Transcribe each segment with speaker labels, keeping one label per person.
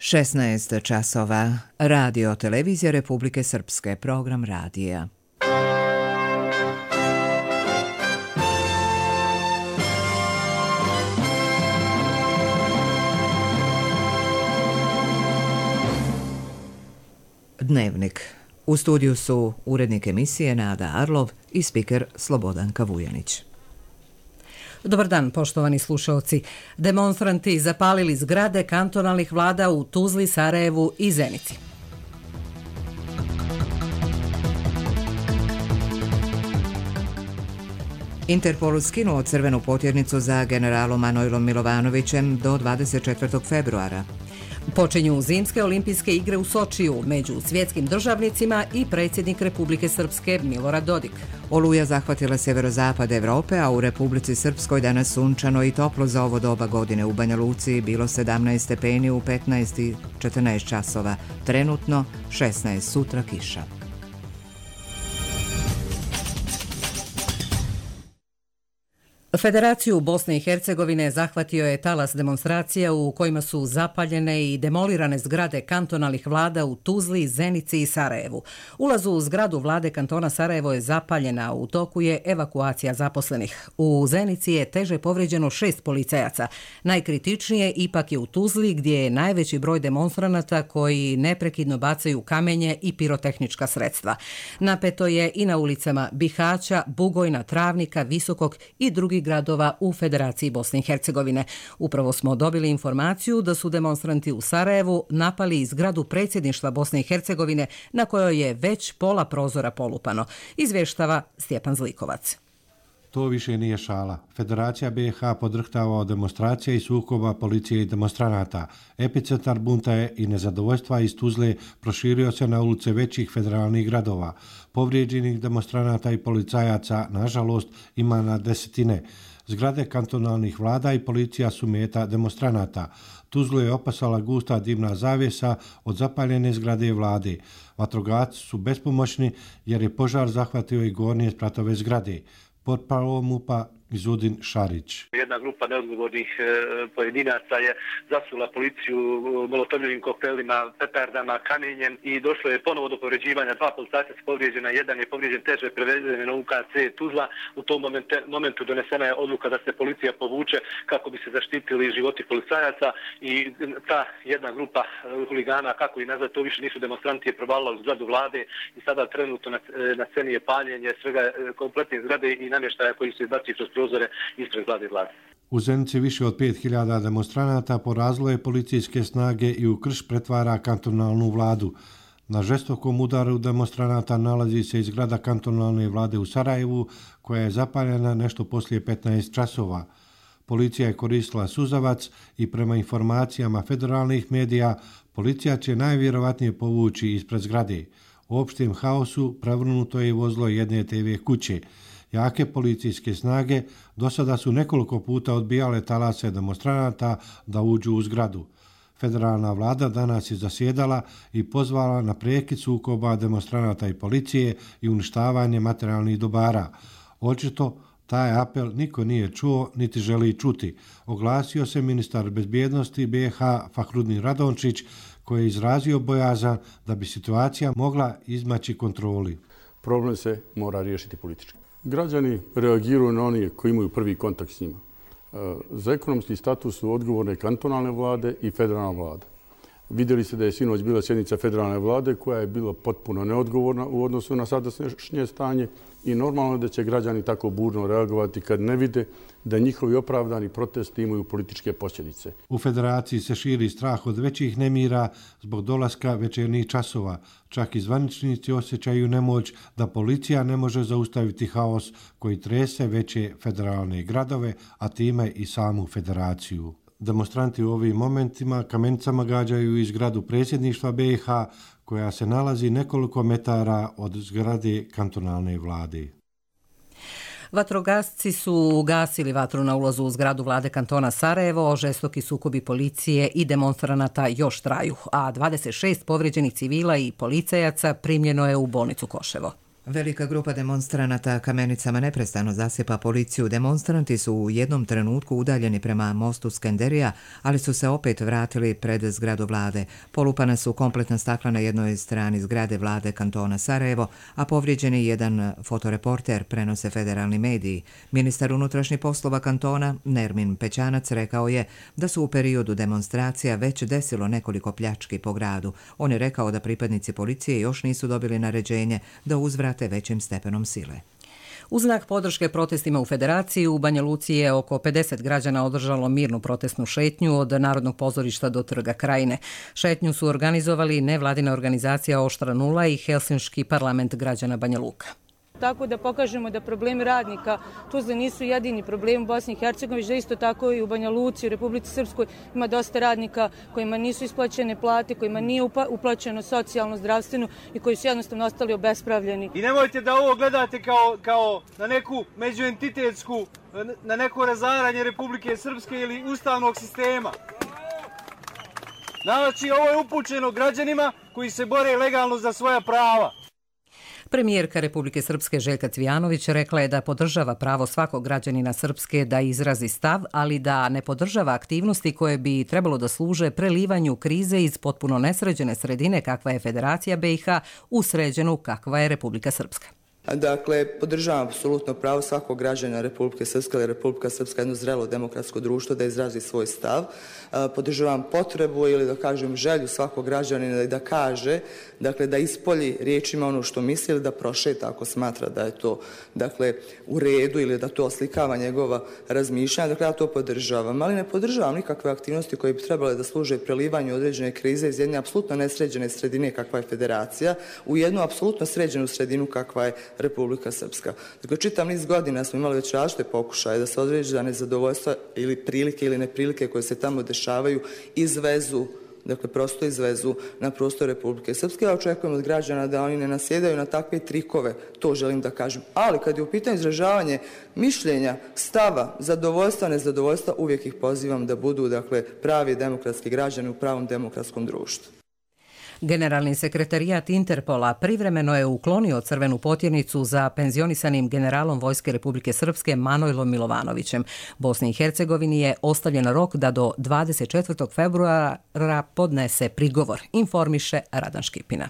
Speaker 1: 16 časova. Radio televizija Republike Srpske. Program radija. Dnevnik. U studiju su urednik emisije Nada Arlov i spiker Slobodanka Vujanić.
Speaker 2: Dobar dan, poštovani slušalci. Demonstranti zapalili zgrade kantonalnih vlada u Tuzli, Sarajevu i Zenici.
Speaker 1: Interpol skinuo crvenu potjernicu za generalom Manojlom Milovanovićem do 24. februara.
Speaker 2: Počinju zimske olimpijske igre u Sočiju među svjetskim državnicima i predsjednik Republike Srpske Milorad Dodik.
Speaker 1: Oluja zahvatila sjeverozapad Evrope, a u Republici Srpskoj danas sunčano i toplo za ovo doba godine. U Banja Luci bilo 17 stepeni u 15 i 14 časova. Trenutno 16, sutra kiša.
Speaker 2: Federaciju Bosne i Hercegovine zahvatio je talas demonstracija u kojima su zapaljene i demolirane zgrade kantonalnih vlada u Tuzli, Zenici i Sarajevu. Ulaz u zgradu vlade kantona Sarajevo je zapaljena, u toku je evakuacija zaposlenih. U Zenici je teže povrijeđeno 6 policajaca. Najkritičnije ipak je u Tuzli, gdje je najveći broj demonstranata koji neprekidno bacaju kamenje i pirotehnička sredstva. Napeto je i na ulicama Bihaća, Bugojna, Travnika, Visokog i drugih gradova u Federaciji Bosne i Hercegovine. Upravo smo dobili informaciju da su demonstranti u Sarajevu napali zgradu predsjedništva Bosne i Hercegovine, na kojoj je već pola prozora polupano. Izvještava Stjepan Zlikovac.
Speaker 3: To više nije šala. Federacija BiH podrhtava od demonstracija i sukoba policije i demonstranata. Epicentar bunta je i nezadovoljstva iz Tuzle proširio se na ulice većih federalnih gradova. Povrijeđenih demonstranata i policajaca, nažalost, ima na desetine. Zgrade kantonalnih vlada i policija su meta demonstranata. Tuzlu je opasala gusta dimna zavjesa od zapaljene zgrade vlade. Vatrogasci su bespomoćni jer je požar zahvatio i gornje spratove zgrade. Portparol MUP-a Izudin Šarić.
Speaker 4: Jedna grupa neodgovornih pojedinaca je zasula policiju molotovljivim koktelima, petardama, kamenjem i došlo je ponovo do povređivanja. 2 policajca su povrijeđena, jedan je povrijeđen teže, prevezen na UKC Tuzla. U tom momentu donesena je odluka da se policija povuče kako bi se zaštitili životi policajaca i ta jedna grupa huligana, kako i nazad, to više nisu demonstranti, je provalila u zgradu vlade i sada trenutno na sceni je paljenje svega kompletne zgrade i namještaja koji se izbaci kroz prozore ispred zgrade vlade.
Speaker 3: U Zenici više od 5000 demonstranata porazilo je policijske snage i u krš pretvara kantonalnu vladu. Na žestokom udaru demonstranata nalazi se i zgrada kantonalne vlade u Sarajevu, koja je zapaljena nešto poslije 15 časova. Policija je koristila suzavac i prema informacijama federalnih medija, policija će najvjerovatnije povući ispred zgrade. U opštem haosu prevrnuto je vozilo jedne TV kuće. Jake policijske snage do sada su nekoliko puta odbijale talase demonstranata da uđu u zgradu. Federalna vlada danas je zasjedala i pozvala na prekid sukoba demonstranata i policije i uništavanje materijalnih dobara. Očito taj apel niko nije čuo niti želi čuti. Oglasio se ministar bezbjednosti BiH Fahrudin Radončić, koji je izrazio bojazan da bi situacija mogla izmaći kontroli.
Speaker 5: Problem se mora riješiti politički. Građani reagiraju na one koji imaju prvi kontakt s njima. Za ekonomski status su odgovorne kantonalne vlade i federalna vlada. Vidjeli se da je sinoć bila sjednica federalne vlade koja je bila potpuno neodgovorna u odnosu na sadašnje stanje i normalno da će građani tako burno reagovati kad ne vide da njihovi opravdani protesti imaju političke posljedice.
Speaker 3: U federaciji se širi strah od većih nemira zbog dolaska večernjih časova. Čak i zvaničnici osjećaju nemoć da policija ne može zaustaviti haos koji trese veće federalne gradove, a time i samu federaciju. Demonstranti u ovim momentima kamenicama gađaju iz zgradu predsjedništva BiH, koja se nalazi nekoliko metara od zgrade kantonalne vlade.
Speaker 2: Vatrogasci su ugasili vatru na ulazu u zgradu vlade kantona Sarajevo, žestoki sukobi policije i demonstranata još traju, a 26 povrijeđenih civila i policajaca primljeno je u bolnicu Koševo.
Speaker 1: Velika grupa demonstranata kamenicama neprestano zasipa policiju. Demonstranti su u jednom trenutku udaljeni prema mostu Skenderija, ali su se opet vratili pred zgradu vlade. Polupana su kompletna stakla na jednoj strani zgrade vlade kantona Sarajevo, a povrijeđen je jedan fotoreporter, prenose federalni mediji. Ministar unutrašnjih poslova kantona Nermin Pećanac rekao je da su u periodu demonstracija već desilo nekoliko pljački po gradu. On je rekao da pripadnici policije još nisu dobili naređenje da uzvrate većim stepenom sile.
Speaker 2: U znak podrške protestima u Federaciji u Banja Luci je oko 50 građana održalo mirnu protestnu šetnju od Narodnog pozorišta do Trga Krajine. Šetnju su organizovali nevladina organizacija Oštra nula i Helsinški parlament građana Banja Luka.
Speaker 6: Tako da pokažemo da problemi radnika Tuzle nisu jedini problemi u Bosni i Hercegovini, da isto tako i u Banja Luci, u Republici Srpskoj ima dosta radnika kojima nisu isplaćene plate, kojima nije uplaćeno socijalno, zdravstveno i koji su jednostavno ostali obespravljeni.
Speaker 7: I nemojte da ovo gledate kao na neku međuentitetsku, na neko razaranje Republike Srpske ili ustavnog sistema. Znači, ovo je upućeno građanima koji se bore legalno za svoja prava.
Speaker 2: Premijerka Republike Srpske Željka Cvijanović rekla je da podržava pravo svakog građanina Srpske da izrazi stav, ali da ne podržava aktivnosti koje bi trebalo da služe prelivanju krize iz potpuno nesređene sredine kakva je Federacija BiH u sređenu kakva je Republika Srpska.
Speaker 8: Dakle, podržavam apsolutno pravo svakog građana Republike Srpske, ali Republika Srpska je jedno zrelo demokratsko društvo da izrazi svoj stav. Podržavam potrebu ili da kažem želju svakog građanina da kaže, dakle da ispolji riječima ono što misli ili da prošeta ako smatra da je to dakle u redu ili da to oslikava njegova razmišljanja. Dakle, ja to podržavam, ali ne podržavam nikakve aktivnosti koje bi trebale da služe prelivanju određene krize iz jedne apsolutno nesređene sredine kakva je Federacija u jednu apsolutno sređenu sredinu kakva je Republika Srpska. Dakle, čitav niz godina smo imali već različite pokušaje da se određena nezadovoljstva ili prilike ili neprilike koje se tamo dešavaju izvezu, dakle prosto izvezu na prostor Republike Srpske. Ja očekujem od građana da oni ne nasjedaju na takve trikove, to želim da kažem. Ali kad je u pitanju izražavanje mišljenja, stava, zadovoljstva, nezadovoljstva, uvijek ih pozivam da budu dakle pravi demokratski građani u pravom demokratskom društvu.
Speaker 2: Generalni sekretarijat Interpola privremeno je uklonio crvenu potjernicu za penzionisanim generalom Vojske Republike Srpske Manojlom Milovanovićem. Bosni i Hercegovini je ostavljen rok da do 24. februara podnese prigovor, informiše Radan Škipina.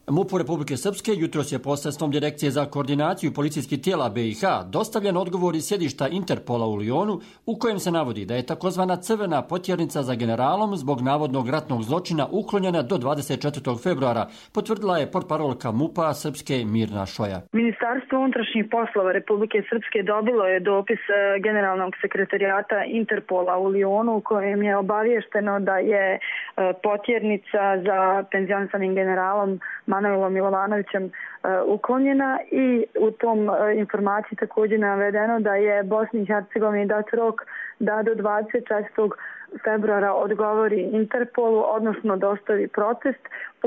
Speaker 9: MUP-u Republike Srpske jutros je posredstvom Direkcije za koordinaciju policijskih tijela BiH dostavljen odgovor iz sjedišta Interpola u Lijonu u kojem se navodi da je takozvana crvena potjernica za generalom zbog navodnog ratnog zločina uklonjena do 24. februara, potvrdila je portparolka MUP-a Srpske Mirna Šoja.
Speaker 10: Ministarstvo unutrašnjih poslova Republike Srpske dobilo je dopis generalnog sekretarijata Interpola u Lijonu u kojem je obaviješteno da je potjernica za penzionisanim generalom Manojlom Milovanovićem uklonjena i u tom informaciji također navedeno da je Bosni i Hercegovini dat rok da do 24. februara odgovori Interpolu, odnosno dostavi protest,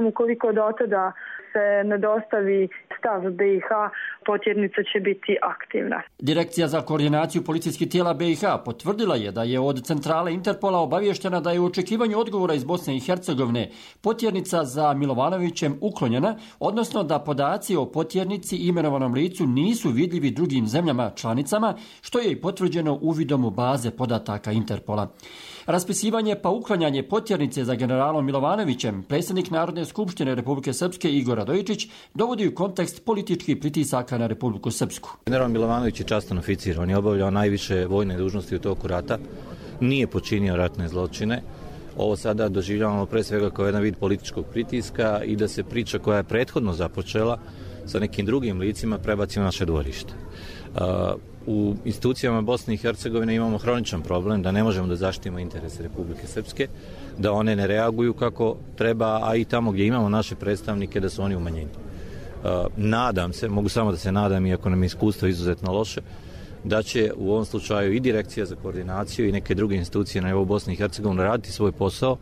Speaker 10: ukoliko do tada se ne dostavi stav BiH, potjernica će biti aktivna.
Speaker 9: Direkcija za koordinaciju policijskih tijela BiH potvrdila je da je od centrale Interpola obavještena da je u očekivanju odgovora iz Bosne i Hercegovine potjernica za Milovanovićem uklonjena, odnosno da podaci o potjernici i imenovanom licu nisu vidljivi drugim zemljama članicama, što je i potvrđeno uvidom u baze podataka Interpola. Raspisivanje pa uklanjanje potjernice za generalom Milovanovićem predsjednik Narodne skupštine Republike Srpske Igor Radojičić dovodi u kontekst političkih pritisaka na Republiku Srpsku.
Speaker 11: General Milovanović je častan oficir, on je obavljao najviše vojne dužnosti u toku rata, nije počinio ratne zločine. Ovo sada doživljavamo pre svega kao jedan vid političkog pritiska i da se priča koja je prethodno započela sa nekim drugim licima prebaci u naše dvorište. U institucijama Bosne i Hercegovine imamo hroničan problem da ne možemo da zaštitimo interese Republike Srpske, da one ne reaguju kako treba, a i tamo gdje imamo naše predstavnike da su oni umanjeni. Nadam se, mogu samo da se nadam, iako nam je iskustvo izuzetno loše, da će u ovom slučaju i Direkcija za koordinaciju i neke druge institucije na nivou Bosne i Hercegovine raditi svoj posao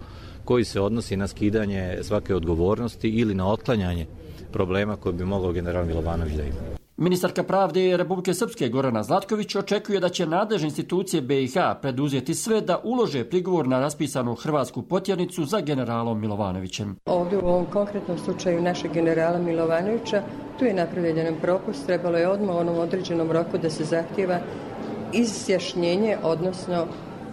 Speaker 11: koji se odnosi na skidanje svake odgovornosti ili na otklanjanje problema koje bi mogao general Milovanović da ima.
Speaker 9: Ministarka pravde Republike Srpske Gorana Zlatković očekuje da će nadležne institucije BiH preduzeti sve da ulože prigovor na raspisanu hrvatsku potjernicu za generalom Milovanovićem.
Speaker 12: Ovdje u ovom konkretnom slučaju našeg generala Milovanovića Tu je napravljen jedan propust, trebalo je odmah u onom određenom roku da se zahtjeva izjašnjenje, odnosno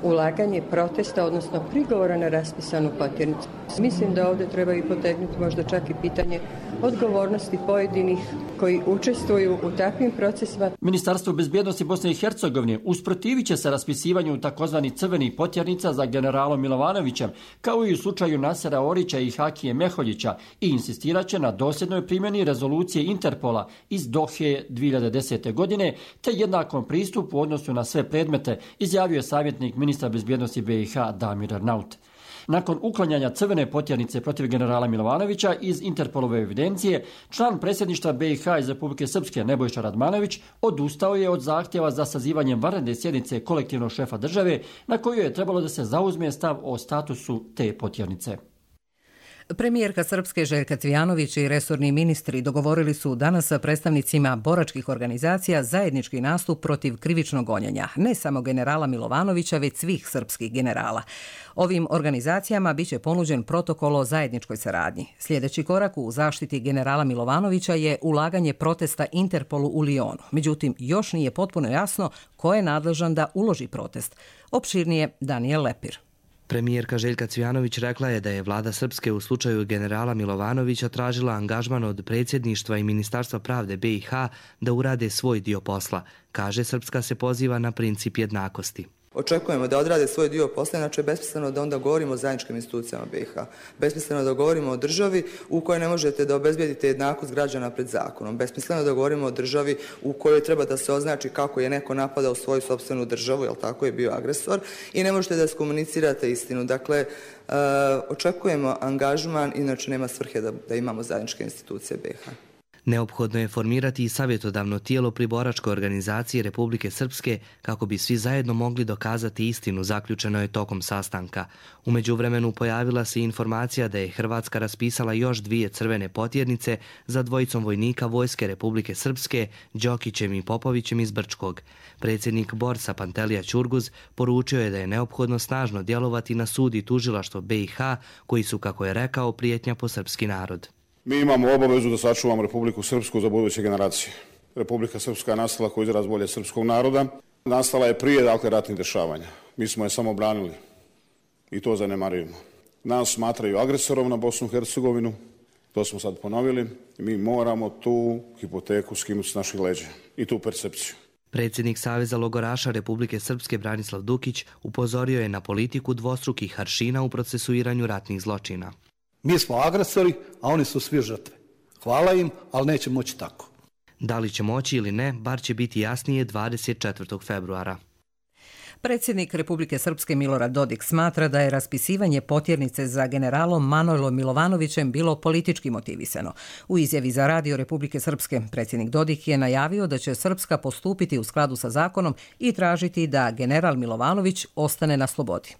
Speaker 12: ulaganje protesta, odnosno prigovora na raspisanu potjernicu. Mislim da ovdje treba i potegnuti možda čak i pitanje odgovornosti pojedinih koji učestvuju u takvim procesima.
Speaker 9: Ministarstvo bezbjednosti Bosne i Hercegovine usprotivit će se raspisivanju takozvanih crvenih potjernica za generalom Milovanovićem, kao i u slučaju Nasera Orića i Hakije Meholjića, i insistirat će na dosljednoj primjeni rezolucije Interpola iz Dohe 2010. godine, te jednakom pristupu u odnosu na sve predmete, izjavio je savjetnik ministra bezbjednosti BiH Damir Arnaut. Nakon uklanjanja crvene potjernice protiv generala Milovanovića iz Interpolove evidencije, član predsjedništva BiH iz Republike Srpske Nebojša Radmanović odustao je od zahtjeva za sazivanjem vanredne sjednice kolektivnog šefa države, na koju je trebalo da se zauzme stav o statusu te potjernice.
Speaker 2: Premijerka Srpske Željka Cvijanović i resorni ministri dogovorili su danas sa predstavnicima boračkih organizacija zajednički nastup protiv krivičnog gonjenja, ne samo generala Milovanovića, već svih srpskih generala. Ovim organizacijama biće ponuđen protokol o zajedničkoj saradnji. Sljedeći korak u zaštiti generala Milovanovića je ulaganje protesta Interpolu u Lionu. Međutim, još nije potpuno jasno ko je nadležan da uloži protest. Opširnije Daniel Lepir.
Speaker 13: Premijerka Željka Cvijanović rekla je da je vlada Srpske u slučaju generala Milovanovića tražila angažman od predsjedništva i Ministarstva pravde BiH da urade svoj dio posla. Kaže, Srpska se poziva na princip jednakosti.
Speaker 8: Očekujemo da odrade svoj dio posla, inače je besmisleno da onda govorimo o zajedničkim institucijama BiH. Besmisleno da govorimo o državi u kojoj ne možete da obezbijedite jednakost građana pred zakonom. Besmisleno da govorimo o državi u kojoj treba da se označi kako je neko napadao svoju sopstvenu državu, jel tako, je bio agresor, i ne možete da skomunicirate istinu. Dakle, očekujemo angažman, inače nema svrhe da imamo zajedničke institucije BiH.
Speaker 13: Neophodno je formirati i savjetodavno tijelo pri boračkoj organizaciji Republike Srpske kako bi svi zajedno mogli dokazati istinu, zaključeno je tokom sastanka. U međuvremenu pojavila se informacija da je Hrvatska raspisala još 2 crvene potjernice za dvojicom vojnika Vojske Republike Srpske, Đokićem i Popovićem iz Brčkog. Predsjednik Borsa Pantelija Ćurguz poručio je da je neophodno snažno djelovati na sud i tužilaštvo BiH, koji su, kako je rekao, prijetnja po srpski narod.
Speaker 14: Mi imamo obavezu da sačuvamo Republiku Srpsku za buduće generacije. Republika Srpska je nastala kao izraz volje srpskog naroda. Nastala je prije, ratnih dešavanja. Mi smo je samo branili i to zanemarujemo. Nas smatraju agresorom na Bosnu i Hercegovinu, to smo sad ponovili. Mi moramo tu hipoteku skinuti s naših leđa i tu percepciju.
Speaker 13: Predsjednik Saveza logoraša Republike Srpske Branislav Dukić upozorio je na politiku dvostrukih aršina u procesuiranju ratnih zločina.
Speaker 15: Mi smo agresori, a oni su svi žrtve. Hvala im, ali neće moći tako.
Speaker 13: Da li će moći ili ne, bar će biti jasnije 24. februara.
Speaker 2: Predsjednik Republike Srpske Milorad Dodik smatra da je raspisivanje potjernice za generalom Manojlom Milovanovićem bilo politički motivisano. U izjavi za Radio Republike Srpske predsjednik Dodik je najavio da će Srpska postupiti u skladu sa zakonom i tražiti da general Milovanović ostane na slobodi.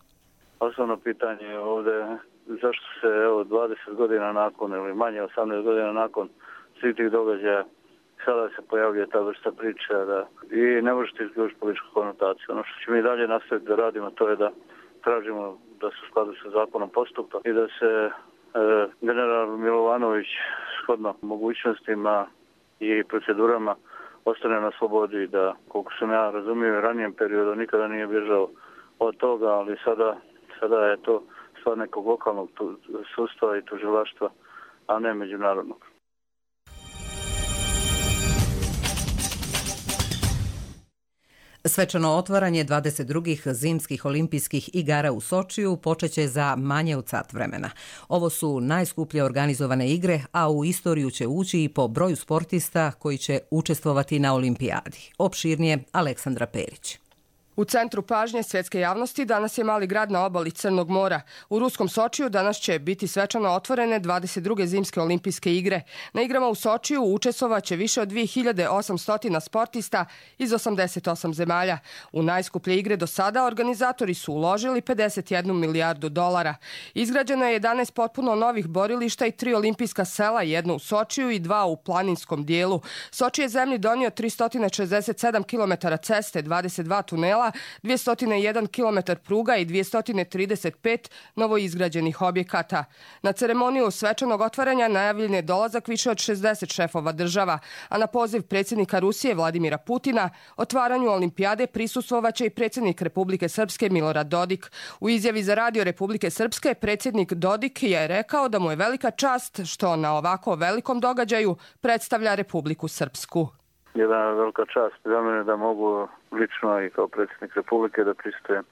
Speaker 16: Osnovno pitanje je ovdje zašto se 20 godina nakon ili manje 18 godina nakon svih tih događaja sada se pojavljuje ta vrsta priče i ne možete izgledati političku konotaciju. Ono što ćemo mi dalje nastaviti da radimo, to je da tražimo da se u skladu sa zakonom postupa i da se general Milovanović shodno mogućnostima i procedurama ostane na slobodi, da koliko sam ja razumio u ranijem periodu nikada nije bježao od toga, ali sada je to stvar nekog lokalnog sudstva i tužilaštva, a ne međunarodnog.
Speaker 2: Svečano otvaranje 22. zimskih olimpijskih igara u Sočiju počeće za manje od sat vremena. Ovo su najskuplje organizovane igre, a u istoriju će ući i po broju sportista koji će učestvovati na olimpijadi. Opširnije Aleksandra Perić.
Speaker 17: U centru pažnje svjetske javnosti danas je mali grad na obali Crnog mora. U ruskom Sočiju danas će biti svečano otvorene 22. zimske olimpijske igre. Na igrama u Sočiju učestvovaće više od 2800 sportista iz 88 zemalja. U najskuplje igre do sada organizatori su uložili 51 milijardu dolara. Izgrađeno je 11 potpuno novih borilišta i 3 olimpijska sela, jedno u Sočiju i 2 u planinskom dijelu. Soči je zemlji donio 367 km ceste, 22 tunela škola, 201 km pruga i 235 novoizgrađenih objekata. Na ceremoniju svečanog otvaranja najavljen je dolazak više od 60 šefova država, a na poziv predsjednika Rusije Vladimira Putina otvaranju olimpijade prisustvovaće i predsjednik Republike Srpske Milorad Dodik. U izjavi za Radio Republike Srpske predsjednik Dodik je rekao da mu je velika čast što na ovako velikom događaju predstavlja Republiku Srpsku.
Speaker 16: Jedna velika čast za mene da mogu lično i kao predsjednik Republike da pristujem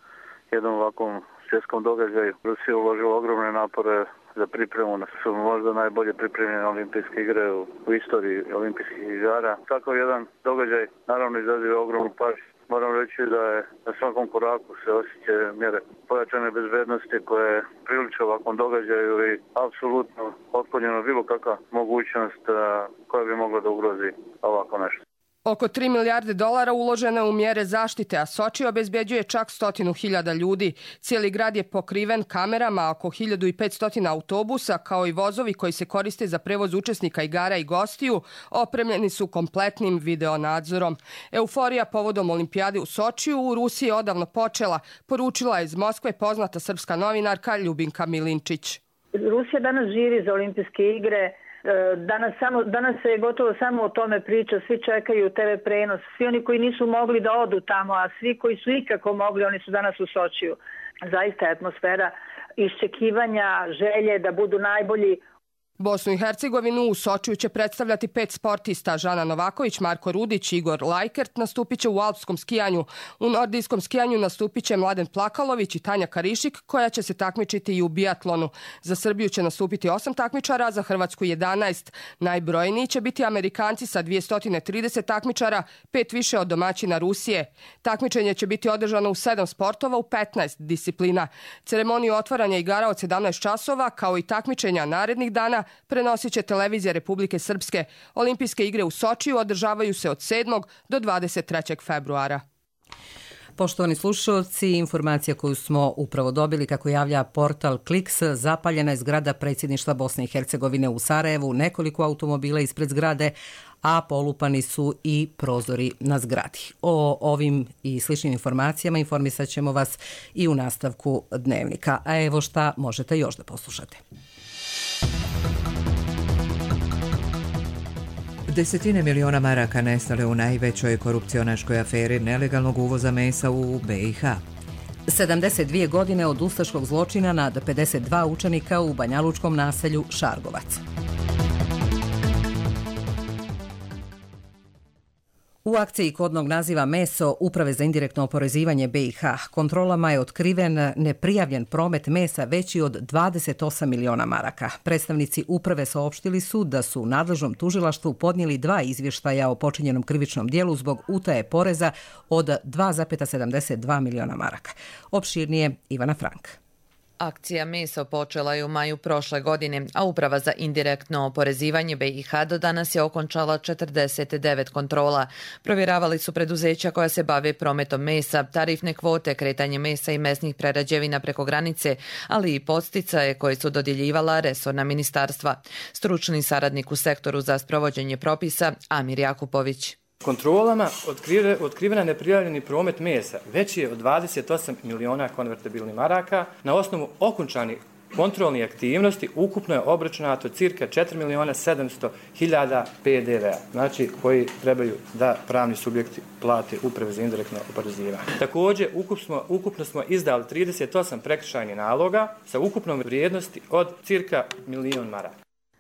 Speaker 16: jednom ovakvom svjetskom događaju. Rusija uložila ogromne napore za pripremu, su možda najbolje pripremljene olimpijske igre u istoriji olimpijskih igara. Takav jedan događaj naravno izaziva ogromnu pažnju. Moram reći da je na svakom koraku se osjećaju mjere pojačane bezbednosti koje priliče ovakvom događaju i apsolutno otklonjeno bilo kakva mogućnost koja bi mogla da ugrozi ovako nešto.
Speaker 17: Oko 3 milijarde dolara uložene u mjere zaštite, a Soči obezbeđuje čak 100.000 ljudi. Cijeli grad je pokriven kamerama, oko 1500 autobusa, kao i vozovi koji se koriste za prevoz učesnika igara i gostiju, opremljeni su kompletnim videonadzorom. Euforija povodom olimpijade u Sočiju u Rusiji je odavno počela, poručila je iz Moskve poznata srpska novinarka Ljubinka Milinčić.
Speaker 18: Rusija danas živi za olimpijske igre. Danas se gotovo samo o tome priča, svi čekaju TV prenos, svi oni koji nisu mogli da odu tamo, a svi koji su ikako mogli, oni su danas u Sočiju. Zaista je atmosfera iščekivanja, želje da budu najbolji.
Speaker 17: Bosnu i Hercegovinu u Sočiju će predstavljati 5 sportista. Žana Novaković, Marko Rudić, Igor Lajkert nastupit će u alpskom skijanju. U nordijskom skijanju nastupit će Mladen Plakalović i Tanja Karišik, koja će se takmičiti i u biatlonu. Za Srbiju će nastupiti 8 takmičara, za Hrvatsku 11. Najbrojniji će biti Amerikanci sa 230 takmičara, 5 više od domaćina Rusije. Takmičenje će biti održano u 7 sportova u 15 disciplina. Ceremoniju otvaranja igara od 17 časova, kao i takmičenja narednih dana, prenosit će televizija Republike Srpske. Olimpijske igre u Sočiju održavaju se od 7. do 23. februara.
Speaker 2: Poštovani slušalci, informacija koju smo upravo dobili, kako javlja portal Kliks, zapaljena je zgrada predsjedništva Bosne i Hercegovine u Sarajevu, nekoliko automobila ispred zgrade, a polupani su i prozori na zgradi. O ovim i sličnim informacijama informisat ćemo vas i u nastavku dnevnika. A evo šta možete još da poslušate.
Speaker 1: Desetine miliona maraka nestale u najvećoj korupcionaškoj aferi nelegalnog uvoza mesa u BiH.
Speaker 2: 72 godine od ustaškog zločina nad 52 učenika u banjalučkom naselju Šargovac. U akciji kodnog naziva Meso Uprave za indirektno oporezivanje BiH kontrolama je otkriven neprijavljen promet mesa veći od 28 miliona maraka. Predstavnici uprave saopštili su da su u nadležnom tužilaštvu podnijeli 2 izvještaja o počinjenom krivičnom dijelu zbog utaje poreza od 2,72 miliona maraka. Opširnije Ivana Frank.
Speaker 19: Akcija Meso počela je u maju prošle godine, a Uprava za indirektno oporezivanje BiH do danas je okončala 49 kontrola. Provjeravali su preduzeća koja se bave prometom mesa, tarifne kvote, kretanje mesa i mesnih prerađevina preko granice, ali i podsticaje koje su dodjeljivala resorna ministarstva. Stručni saradnik u sektoru za sprovođenje propisa Amir Jakupović.
Speaker 20: Kontrolama otkrivena neprijavljeni promet mesa veći je od 28 miliona konvertibilnih maraka. Na osnovu okončanih kontrolnih aktivnosti ukupno je obračunato cirka 4.700.000 PDV-a, znači koji trebaju da pravni subjekti plate Uprave za indirektno oporezivanje. Također, ukupno smo izdali 38 prekršajnih naloga sa ukupnom vrijednosti od cirka 1.000.000 maraka.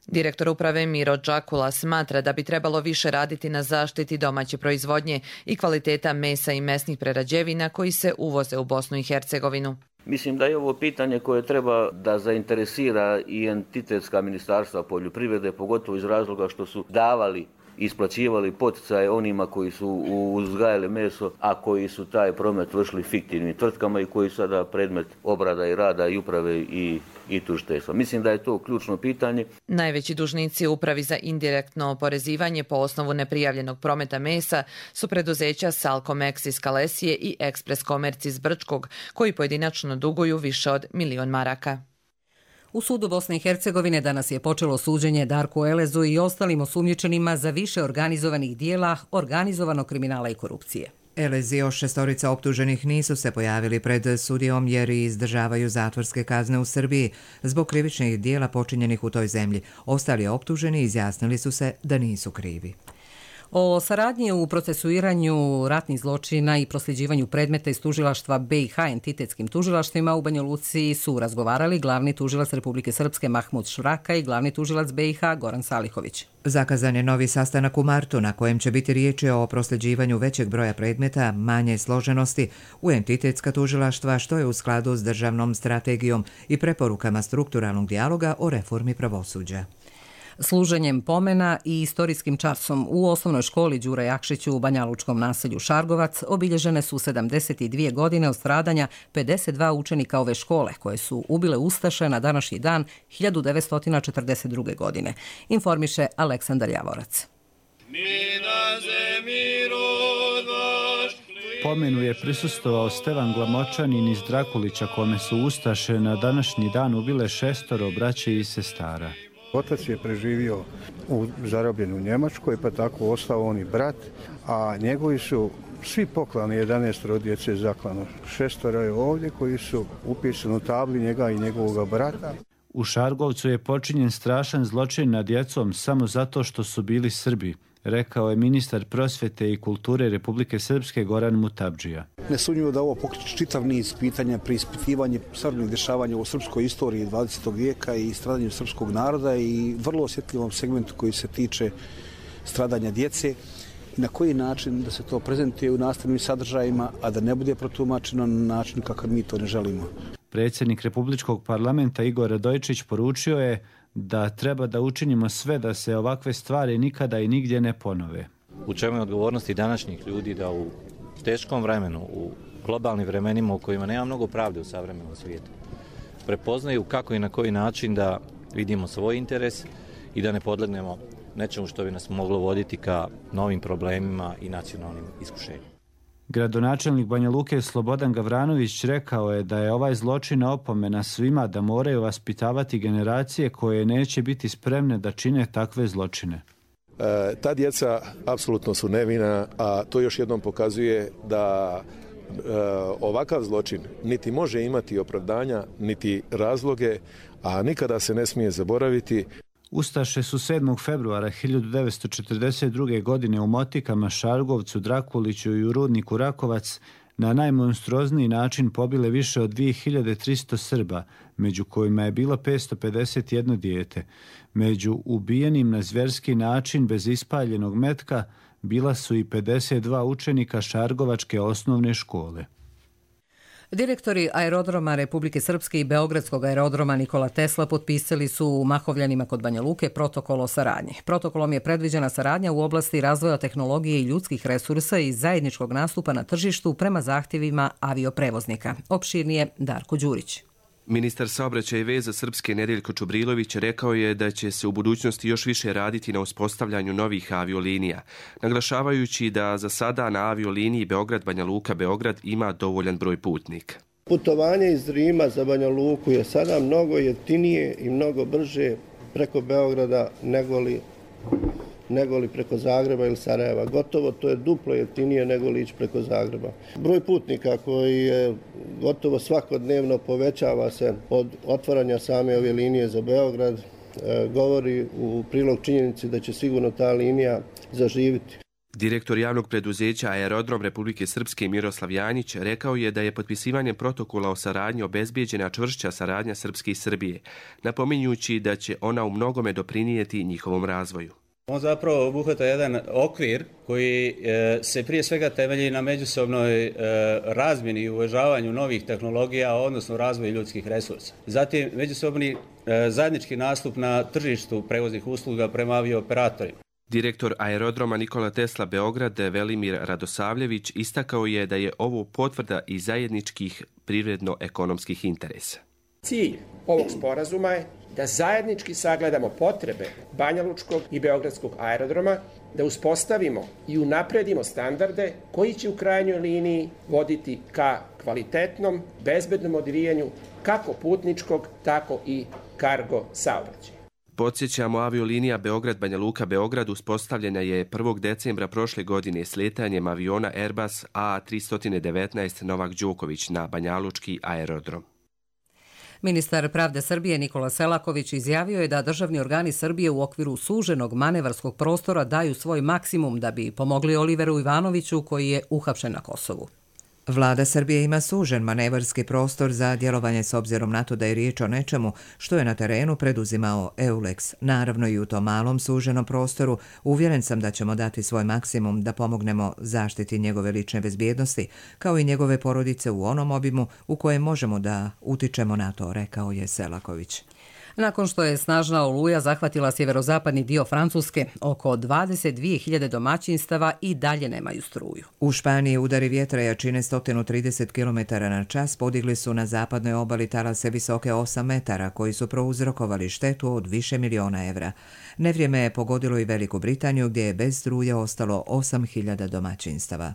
Speaker 19: Direktor uprave Miro Đakula smatra da bi trebalo više raditi na zaštiti domaće proizvodnje i kvaliteta mesa i mesnih prerađevina koji se uvoze u Bosnu i Hercegovinu.
Speaker 21: Mislim da je ovo pitanje koje treba da zainteresira i entitetska ministarstva poljoprivrede, pogotovo iz razloga što su davali, isplaćivali poticaje onima koji su uzgajali meso, a koji su taj promet vršili fiktivnim tvrtkama i koji su sada predmet obrada i rada i uprave i tužiteljstva. Mislim da je to ključno pitanje.
Speaker 19: Najveći dužnici Upravi za indirektno oporezivanje po osnovu neprijavljenog prometa mesa su preduzeća Salcomex iz Kalesije i Ekspres Komerc iz Brčkog, koji pojedinačno duguju više od 1.000.000 maraka.
Speaker 2: U sudu Bosne i Hercegovine danas je počelo suđenje Darku Elezu i ostalim osumnjičenima za više organizovanih dijela organizovanog kriminala i korupcije.
Speaker 1: Još 6 optuženih nisu se pojavili pred sudijom jer izdržavaju zatvorske kazne u Srbiji zbog krivičnih dijela počinjenih u toj zemlji. Ostali optuženi izjasnili su se da nisu krivi.
Speaker 2: O saradnji u procesuiranju ratnih zločina i prosljeđivanju predmeta iz tužilaštva BiH entitetskim tužilaštvima u Banja Luci su razgovarali glavni tužilac Republike Srpske Mahmud Švraka i glavni tužilac BiH Goran Salihović.
Speaker 1: Zakazan je novi sastanak u martu na kojem će biti riječi o prosljeđivanju većeg broja predmeta, manje složenosti u entitetska tužilaštva, što je u skladu s državnom strategijom i preporukama strukturalnog dijaloga o reformi pravosuđa.
Speaker 2: Služenjem pomena i istorijskim časom u osnovnoj školi Đure Jakšiću u banjalučkom naselju Šargovac obilježene su 72 godine od stradanja 52 učenika ove škole koje su ubile ustaše na današnji dan 1942. godine. Informiše Aleksandar Javorac.
Speaker 4: Pomenu je prisustvovao Stevan Glamočanin iz Drakulića, kome su ustaše na današnji dan ubile 6 braće i sestara.
Speaker 22: Otac je preživio zarobljen u Njemačkoj, pa tako ostao on i brat, a njegovi su svi poklani, 11 djece zaklano. 6 je ovdje koji su upisani u tabli njega i njegovog brata.
Speaker 4: U Šargovcu je počinjen strašan zločin nad djecom samo zato što su bili Srbi, rekao je ministar prosvjete i kulture Republike Srpske Goran Mutabdžija.
Speaker 23: Nesumnjivo da ovo pokreće čitav niz pitanja, preispitivanje stvarnih dešavanja u srpskoj istoriji 20. vijeka i stradanju srpskog naroda i vrlo osjetljivom segmentu koji se tiče stradanja djece. Na koji način da se to prezentuje u nastavnim sadržajima, a da ne bude protumačeno na način kakav mi to ne želimo.
Speaker 4: Predsjednik Republičkog parlamenta Igor Radojčić poručio je da treba da učinimo sve da se ovakve stvari nikada i nigdje ne ponove.
Speaker 11: U čemu je odgovornosti današnjih ljudi da u teškom vremenu, u globalnim vremenima u kojima nema mnogo pravde u savremenom svijetu, prepoznaju kako i na koji način da vidimo svoj interes i da ne podlegnemo nečemu što bi nas moglo voditi ka novim problemima i nacionalnim iskušenjima.
Speaker 4: Gradonačelnik Banja Luke Slobodan Gavranović rekao je da je ovaj zločin opomena svima da moraju vaspitavati generacije koje neće biti spremne da čine takve zločine.
Speaker 24: Ta djeca apsolutno su nevina, a to još jednom pokazuje da ovakav zločin niti može imati opravdanja, niti razloge, a nikada se ne smije zaboraviti.
Speaker 4: Ustaše su 7. februara 1942. godine u Motikama, Šargovcu, Drakuliću i u rudniku Rakovac na najmonstruozniji način pobile više od 2300 Srba, među kojima je bilo 551 dijete. Među ubijenim na zvjerski način bez ispaljenog metka bila su i 52 učenika Šargovačke osnovne škole.
Speaker 2: Direktori aerodroma Republike Srpske i Beogradskog aerodroma Nikola Tesla potpisali su u Mahovljanima kod Banja Luke protokol o saradnji. Protokolom je predviđena saradnja u oblasti razvoja tehnologije i ljudskih resursa i zajedničkog nastupa na tržištu prema zahtjevima avioprevoznika. Opširnije Darko Đurić.
Speaker 25: Ministar saobraćaja i veza Srpske Nedeljko Čubrilović rekao je da će se u budućnosti još više raditi na uspostavljanju novih aviolinija, naglašavajući da za sada na avioliniji Beograd-Banja Luka-Beograd ima dovoljan broj putnika.
Speaker 26: Putovanje iz Rima za Banja Luku je sada mnogo jeftinije i mnogo brže preko Beograda nego li preko Zagreba ili Sarajeva. Gotovo to je duplo jeftinije nego li ići preko Zagreba. Broj putnika koji je gotovo svakodnevno povećava se od otvaranja same ove linije za Beograd govori u prilog činjenici da će sigurno ta linija zaživiti.
Speaker 25: Direktor javnog preduzeća Aerodrom Republike Srpske Miroslav Janjić rekao je da je potpisivanjem protokola o saradnji obezbijeđena čvršća saradnja Srpske i Srbije, napominjući da će ona u mnogome doprinijeti njihovom razvoju.
Speaker 27: On zapravo obuhvata jedan okvir koji se prije svega temelji na međusobnoj razmjeni i uvažavanju novih tehnologija, odnosno razvoju ljudskih resursa. Zatim međusobni zajednički nastup na tržištu prevoznih usluga prema aviooperatorima.
Speaker 25: Direktor aerodroma Nikola Tesla Beograd Velimir Radosavljević istakao je da je ovo potvrda i zajedničkih privredno-ekonomskih interesa.
Speaker 28: Cilj ovog sporazuma je da zajednički sagledamo potrebe Banjalučkog i Beogradskog aerodroma, da uspostavimo i unapredimo standarde koji će u krajnjoj liniji voditi ka kvalitetnom, bezbednom odvijanju kako putničkog, tako i kargo saobraćaja.
Speaker 25: Podsjećamo, aviolinija Beograd-Banja Luka-Beograd uspostavljena je 1. decembra prošle godine slijetanjem aviona Airbus A319 Novak Đoković na Banjalučki aerodrom.
Speaker 2: Ministar pravde Srbije Nikola Selaković izjavio je da državni organi Srbije u okviru suženog manevarskog prostora daju svoj maksimum da bi pomogli Oliveru Ivanoviću koji je uhapšen na Kosovu.
Speaker 1: Vlada Srbije ima sužen manevarski prostor za djelovanje s obzirom na to da je riječ o nečemu što je na terenu preduzimao EULEX. Naravno i u tom malom suženom prostoru uvjeren sam da ćemo dati svoj maksimum da pomognemo zaštiti njegove lične bezbjednosti, kao i njegove porodice u onom obimu u kojem možemo da utičemo na to, rekao je Selaković.
Speaker 2: Nakon što je snažna oluja zahvatila sjeverozapadni dio Francuske, oko 22.000 domaćinstava i dalje nemaju struju.
Speaker 1: U Španiji udari vjetra jačine 130 km/h podigli su na zapadnoj obali talase visoke 8 metara koji su prouzrokovali štetu od više miliona evra. Nevrijeme je pogodilo i Veliku Britaniju gdje je bez struje ostalo 8.000 domaćinstava.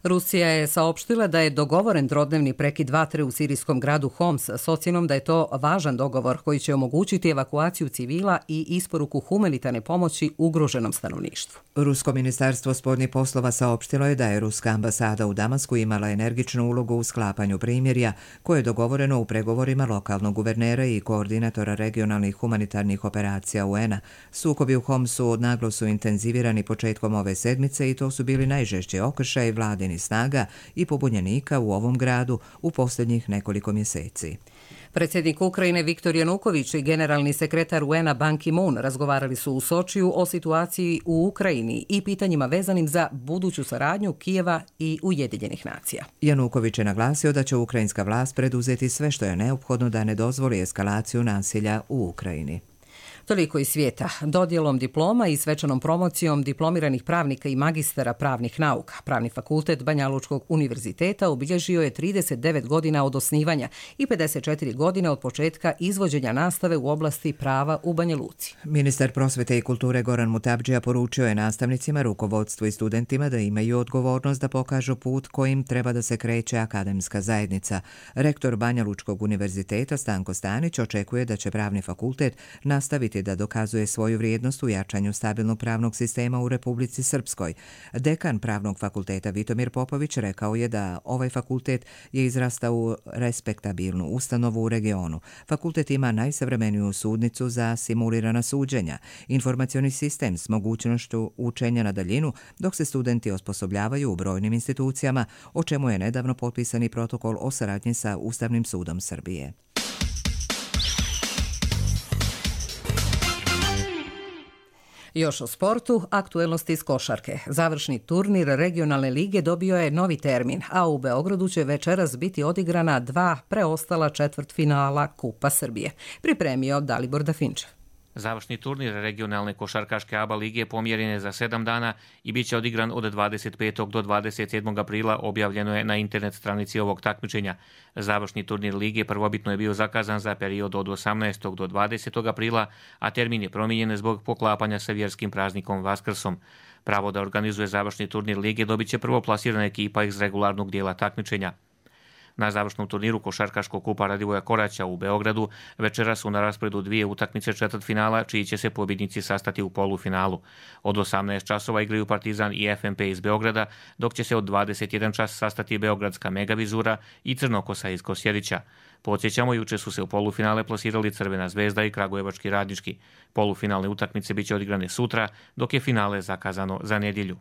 Speaker 2: Rusija je saopštila da je dogovoren trodnevni prekid vatre u sirijskom gradu Homs s ocjenom da je to važan dogovor koji će omogućiti evakuaciju civila i isporuku humanitarne pomoći ugroženom stanovništvu.
Speaker 1: Rusko ministarstvo spoljnih poslova saopštilo je da je ruska ambasada u Damasku imala energičnu ulogu u sklapanju primirja koje je dogovoreno u pregovorima lokalnog guvernera i koordinatora regionalnih humanitarnih operacija UN-a. Sukobi u Homsu naglo su intenzivirani početkom ove sedmice i to su bili najžešći okršaj vladini snaga i pobunjenika u ovom gradu u posljednjih nekoliko mjeseci.
Speaker 2: Predsjednik Ukrajine Viktor Januković i generalni sekretar UN-a Ban Ki-moon razgovarali su u Sočiju o situaciji u Ukrajini i pitanjima vezanim za buduću saradnju Kijeva i Ujedinjenih nacija.
Speaker 1: Januković je naglasio da će ukrajinska vlast preduzeti sve što je neophodno da ne dozvoli eskalaciju nasilja u Ukrajini.
Speaker 2: Toliko iz svijeta. Dodjelom diploma i svečanom promocijom diplomiranih pravnika i magistara pravnih nauka. Pravni fakultet Banja Lučkog univerziteta obilježio je 39 godina od osnivanja i 54 godine od početka izvođenja nastave u oblasti prava u Banja Luci.
Speaker 1: Ministar prosvete i kulture Goran Mutabdžija poručio je nastavnicima, rukovodstvu i studentima da imaju odgovornost da pokažu put kojim treba da se kreće akademska zajednica. Rektor Banja Lučkog univerziteta Stanko Stanić očekuje da će pravni fakultet nastaviti da dokazuje svoju vrijednost u jačanju stabilnog pravnog sistema u Republici Srpskoj. Dekan pravnog fakulteta Vitomir Popović rekao je da ovaj fakultet je izrastao u respektabilnu ustanovu u regionu. Fakultet ima najsavremeniju sudnicu za simulirana suđenja, informacioni sistem s mogućnošću učenja na daljinu, dok se studenti osposobljavaju u brojnim institucijama, o čemu je nedavno potpisani protokol o saradnji sa Ustavnim sudom Srbije.
Speaker 2: Još o sportu, aktuelnosti iz košarke. Završni turnir regionalne lige dobio je novi termin, a u Beogradu će večeras biti odigrana 2 preostala četvrtfinala Kupa Srbije. Pripremio Dalibor Dafinčev.
Speaker 3: Završni turnir regionalne košarkaške ABA lige pomjeren je za 7 dana i bit će odigran od 25. do 27. aprila, objavljeno je na internet stranici ovog takmičenja. Završni turnir lige prvobitno je bio zakazan za period od 18. do 20. aprila, a termin je promijenjen zbog poklapanja sa vjerskim praznikom Vaskrsom. Pravo da organizuje završni turnir lige dobit će prvoplasirana ekipa iz regularnog dijela takmičenja. Na završnom turniru košarkaškog kupa Radivoja Koraća u Beogradu večera su na rasporedu 2 utakmice četvrtfinala, čiji će se pobjednici sastati u polufinalu. Od 18 časova igraju Partizan i FNP iz Beograda, dok će se od 21 čas sastati Beogradska Megavizura i Crnokosa iz Kosjerića. Podsjećamo, juče su se u polufinale plasirali Crvena zvezda i Kragujevački Radnički. Polufinalne utakmice bit će odigrane sutra, dok je finale zakazano za nedjelju.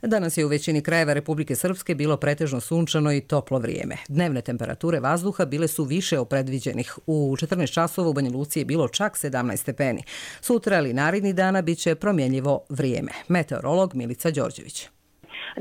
Speaker 2: Danas je u većini krajeva Republike Srpske bilo pretežno sunčano i toplo vrijeme. Dnevne temperature vazduha bile su više od predviđenih. U 14 časova u Banja Luci je bilo čak 17 stepeni. Sutra ili naredni dana bit će promjenjivo vrijeme. Meteorolog Milica Đorđević.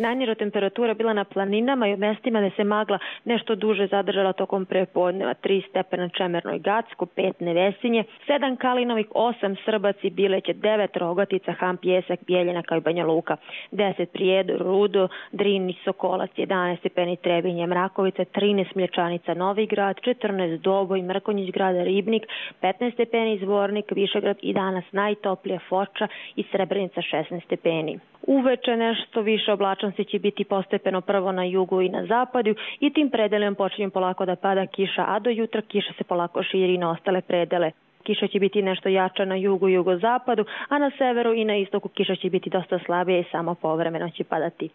Speaker 5: Najniža temperatura bila na planinama i u mestima da se magla nešto duže zadržala tokom prepodneva. 3 stepena Čemernoj Gacko, 5 Nevesinje, 7 Kalinovih, 8 Srbaci, Bileće, 9 Rogatica, Ham, Pjesak, Bijeljina kao i Banja Luka, 10 Prijedor, Rudo, Drin i Sokolac, 11 stepeni Trebinje, Mrakovica, 13 Mlječanica, Novi Grad, 14 Doboj, Mrkonjić grada, Ribnik, 15 stepeni Zvornik, Višegrad i danas najtoplija Foča i Srebrenica 16 stepeni. Uveče nešto više oblačnosti će biti postepeno prvo na jugu i na zapadu i tim predelom počinje polako da pada kiša, a do jutra kiša se polako širi na ostale predele. Kiša će biti nešto jača na jugu i jugozapadu, a na severu i na istoku kiša će biti dosta slabije i samo povremeno će padati.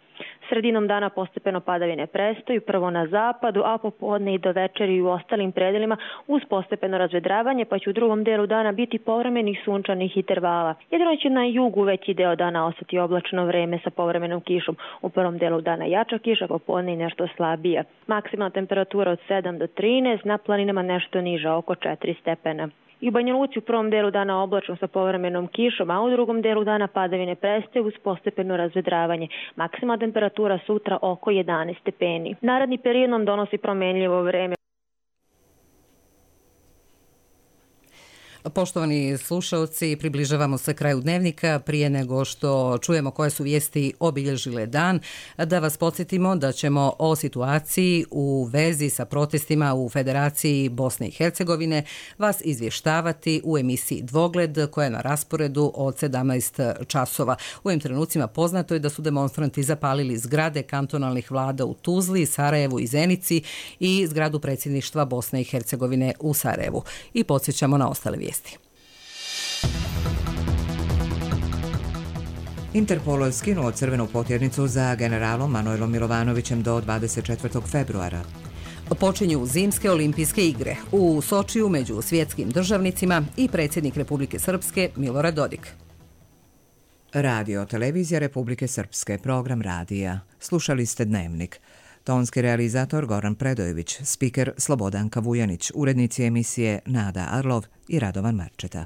Speaker 5: Sredinom dana postepeno padavine prestaju, prvo na zapadu, a popodne i do večeri i u ostalim predelima uz postepeno razvedravanje, pa će u drugom delu dana biti povremenih sunčanih intervala. Jedino će na jugu veći deo dana ostati oblačno vreme sa povremenom kišom. U prvom delu dana jača kiša, popodne i nešto slabija. Maksimalna temperatura od 7 do 13, na planinama nešto niža, oko 4 stepena. I u Banja Luci u prvom delu dana oblačno sa povremenom kišom, a u drugom delu dana padavine prestaju uz postepeno razvedravanje. Maksimalna temperatura sutra oko 11 stepeni. Naredni period nam donosi promenljivo vreme.
Speaker 2: Poštovani slušalci, približavamo se kraju dnevnika. Prije nego što čujemo koje su vijesti obilježile dan, da vas podsjetimo da ćemo o situaciji u vezi sa protestima u Federaciji Bosne i Hercegovine vas izvještavati u emisiji Dvogled koja je na rasporedu od 17 časova. U ovim trenucima poznato je da su demonstranti zapalili zgrade kantonalnih vlada u Tuzli, Sarajevu i Zenici i zgradu predsjedništva Bosne i Hercegovine u Sarajevu. I podsjećamo na ostale vijesti.
Speaker 1: Interpol skinuo crvenu potjernicu za generalom Manojlom Milovanovićem do 24. februara.
Speaker 2: Počinju zimske olimpijske igre u Sočiju među svjetskim državnicima i predsjednik Republike Srpske Milorad Dodik.
Speaker 1: Radio televizija Republike Srpske, program radija. Slušali ste Dnevnik. Tonski realizator Goran Predojević, spiker Slobodanka Vujanić, urednici emisije Nada Arlov i Radovan Marčeta.